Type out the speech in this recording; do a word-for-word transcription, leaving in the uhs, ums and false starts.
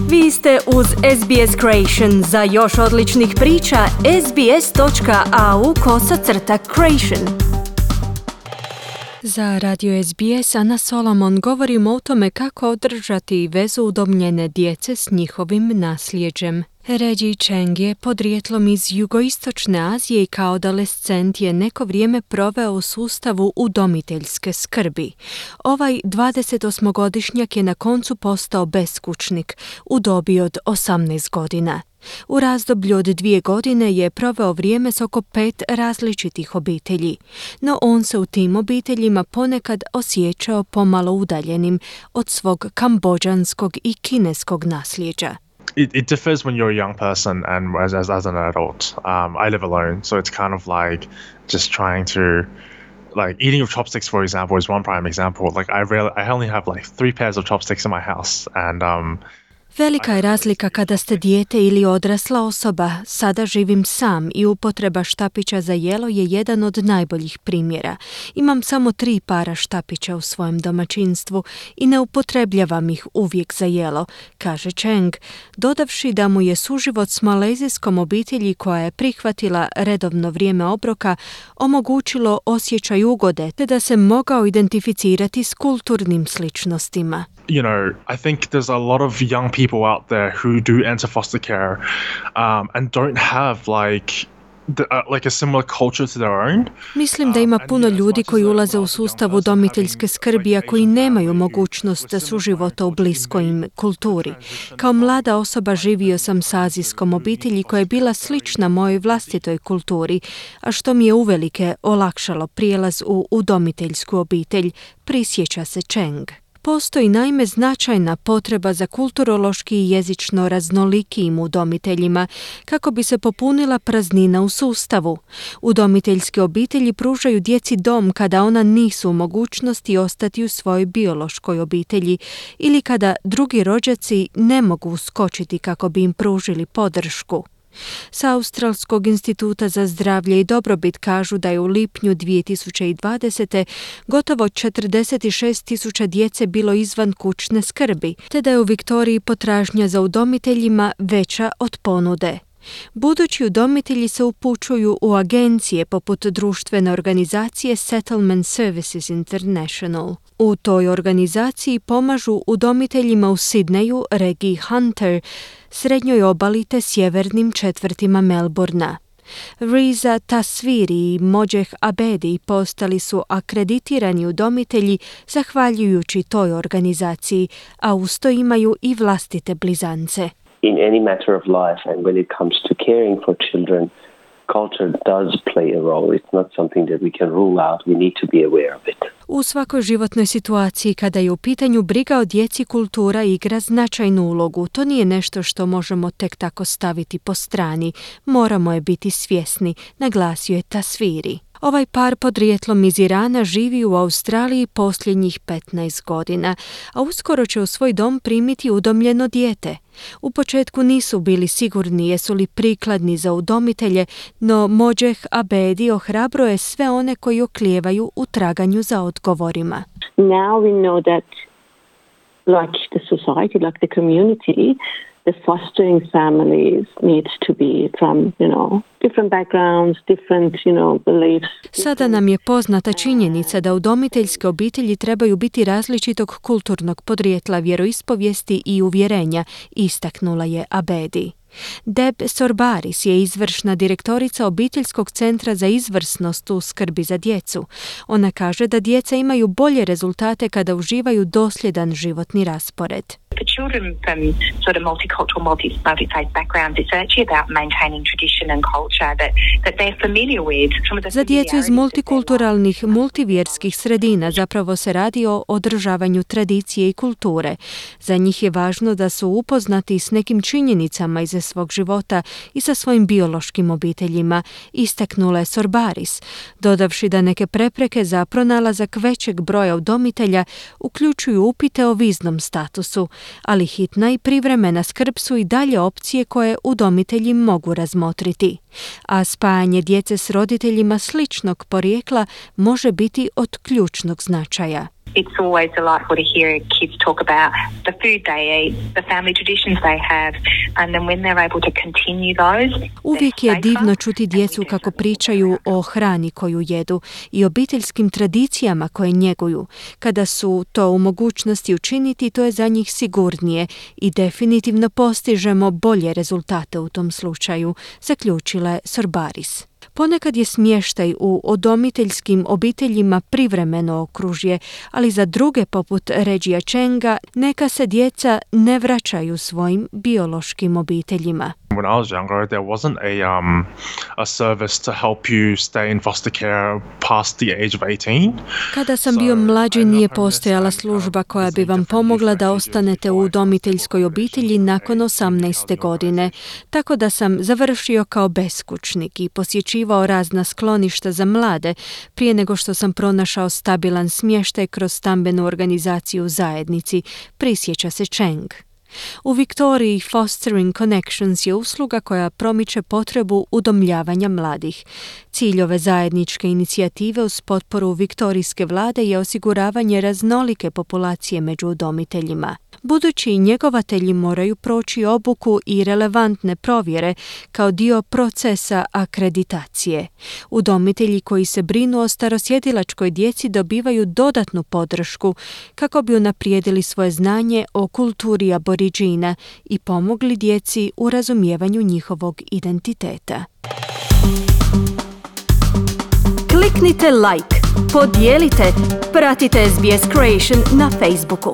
Vi ste uz S B S Creation. Za još odličnih priča, sbs.au kosacrta creation. Za radio S B S Ana Solomon govorimo o tome kako održati vezu udomljene djece s njihovim nasljeđem. Reggie Cheng je podrijetlom iz jugoistočne Azije i kao adolescent je neko vrijeme proveo u sustavu udomiteljske skrbi. Ovaj dvadesetosmogodišnjak je na koncu postao beskućnik u dobi od osamnaest godina. U razdoblju od dvije godine je proveo vrijeme s oko pet različitih obitelji, no on se u tim obiteljima ponekad osjećao pomalo udaljenim od svog kambodžanskog i kineskog nasljeđa. It, it differs when you're a young person and as, as, as an adult. Um, I live alone, so it's kind of like just trying to, like eating with chopsticks, for example, is one prime example. Like I really, I only have like three pairs of chopsticks in my house, and um, Velika je razlika kada ste dijete ili odrasla osoba. Sada živim sam i upotreba štapića za jelo je jedan od najboljih primjera. Imam samo tri para štapića u svojem domaćinstvu i ne upotrebljavam ih uvijek za jelo, kaže Cheng, dodavši da mu je suživot s malezijskom obitelji koja je prihvatila redovno vrijeme obroka omogućilo osjećaj ugode te da se mogao identificirati s kulturnim sličnostima. You know, I think there's a lot of young people out there who do enter foster care um, and don't have like the, uh, like a similar culture to their own. Mislim da ima puno ljudi koji ulaze u sustav udomiteljske skrbi, a koji nemaju mogućnost suživota u bliskoj im kulturi. Kao mlada osoba živio sam s azijskom obitelji koja je bila slična mojoj vlastitoj kulturi, a što mi je uvelike olakšalo prijelaz u udomiteljsku obitelj, prisjeća se Cheng. Postoji naime značajna potreba za kulturološki i jezično raznolikijim udomiteljima kako bi se popunila praznina u sustavu. Udomiteljske obitelji pružaju djeci dom kada ona nisu u mogućnosti ostati u svojoj biološkoj obitelji ili kada drugi rođaci ne mogu uskočiti kako bi im pružili podršku. S Australskog instituta za zdravlje i dobrobit kažu da je u lipnju dvije tisuće dvadesete. gotovo četrdeset šest tisuća djece bilo izvan kućne skrbi, te da je u Viktoriji potražnja za udomiteljima veća od ponude. Budući udomitelji se upućuju u agencije poput društvene organizacije Settlement Services International. U toj organizaciji pomažu udomiteljima u Sidneju, regiji Hunter, srednjoj obali te sjevernim četvrtima Melbourna. Riza Tasviri i Mojeh Abedi postali su akreditirani udomitelji zahvaljujući toj organizaciji, a uz to imaju i vlastite blizance. In any matter of life, and when it comes to caring for children, culture does play a role. It's not something that we can rule out. We need to be aware of it. U svakoj životnoj situaciji kada je u pitanju briga o djeci, kultura igra značajnu ulogu. To nije nešto što možemo tek tako staviti po strani. Moramo je biti svjesni, naglasio je Tasviri. Ovaj par podrijetlom iz Irana živi u Australiji posljednjih petnaest godina, a uskoro će u svoj dom primiti udomljeno dijete. U početku nisu bili sigurni jesu li prikladni za udomitelje, no Mojeh Abedi ohrabruje sve one koji oklijevaju u traganju za odgovorima. Now we know that like the society, like the community, the fostering families needs to be from, you know, different backgrounds, different, you know, beliefs. Sada nam je poznata činjenica da udomiteljske obitelji trebaju biti različitog kulturnog podrijetla, vjeroispovijesti i uvjerenja, istaknula je Abedi. Deb Sorbaris je izvršna direktorica Obiteljskog centra za izvrsnost u skrbi za djecu. Ona kaže da djeca imaju bolje rezultate kada uživaju dosljedan životni raspored. For children from sort of multicultural, multi, multi-faith backgrounds, it's actually about maintaining tradition and culture that, that they're familiar with. Za djecu iz multikulturalnih, multivjerskih sredina zapravo se radi o održavanju tradicije i kulture. Za njih je važno da su upoznati s nekim činjenicama iz svog života i sa svojim biološkim obiteljima, istaknula je Sorbaris, dodavši da neke prepreke za pronalazak većeg broja udomitelja uključuju upite o viznom statusu, ali hitna i privremena skrb su i dalje opcije koje udomitelji mogu razmotriti. A spajanje djece s roditeljima sličnog porijekla može biti od ključnog značaja. It's always delightful to hear kids talk about the food they eat, the family traditions they have, and then when they're able to continue those. Uvijek je divno čuti djecu kako pričaju o hrani koju jedu i obiteljskim tradicijama koje njeguju. Kada su to u mogućnosti učiniti, to je za njih sigurnije i definitivno postižemo bolje rezultate u tom slučaju, zaključila je Sorbaris. Ponekad je smještaj u udomiteljskim obiteljima privremeno okružje, ali za druge poput Regija Chenga neka se djeca ne vraćaju svojim biološkim obiteljima. When I was younger, there wasn't a um, a service to help you stay in foster care past the age of eighteen. Kada sam bio mlađi, nije postojala služba koja bi vam pomogla da ostanete u udomiteljskoj obitelji nakon osamnaeste godine, tako da sam završio kao beskućnik i posjećivao razna skloništa za mlade prije nego što sam pronašao stabilan smještaj kroz stambenu organizaciju u zajednici, prisjeća se Cheng. U Viktoriji Fostering Connections je usluga koja promiče potrebu udomljavanja mladih. Cilj ove zajedničke inicijative uz potporu viktorijske vlade je osiguravanje raznolike populacije među udomiteljima. Budući njegovatelji moraju proći obuku i relevantne provjere kao dio procesa akreditacije. Udomitelji koji se brinu o starosjedilačkoj djeci dobivaju dodatnu podršku kako bi unaprijedili svoje znanje o kulturi aboriđina i pomogli djeci u razumijevanju njihovog identiteta. Kliknite like, podijelite, pratite S B S Creation na Facebooku.